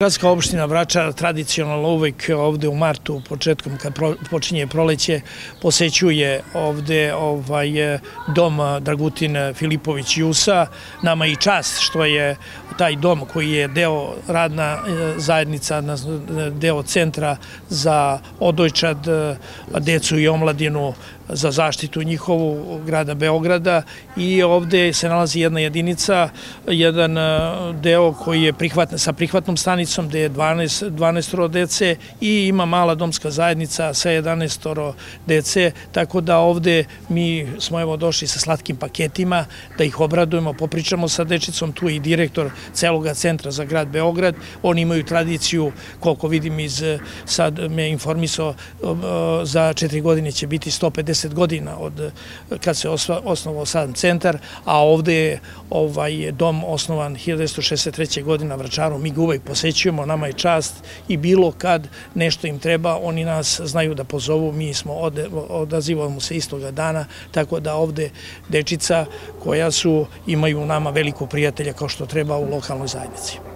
Gradska opština Vračar tradicionalno uvek ovde u martu, početkom kad počinje proleće, posećuje ovde dom Dragutin Filipović Jusa. Nama je i čast što je taj dom koji je deo radna zajednica, deo centra za odojčad, decu i omladinu, za zaštitu njihovu grada Beograda, i ovde se nalazi jedna jedinica, jedan deo koji je sa prihvatnom stanicom gde je 12 dece i ima mala domska zajednica sa 11 dece, tako da ovde mi smo evo došli sa slatkim paketima da ih obradujemo, popričamo sa dečicom. Tu je i direktor celoga centra za grad Beograd. Oni imaju tradiciju, koliko vidim sad me informisao, za 4 godine će biti 150 godina od kad se osnovao sam centar, a ovde je dom osnovan 1963. godine na Vračaru. Mi ga uvek posećujemo, nama je čast i bilo kad nešto im treba, oni nas znaju da pozovu, mi odazivamo se istoga dana, tako da ovde dečica koja imaju u nama veliko prijatelja kao što treba u lokalnoj zajednici.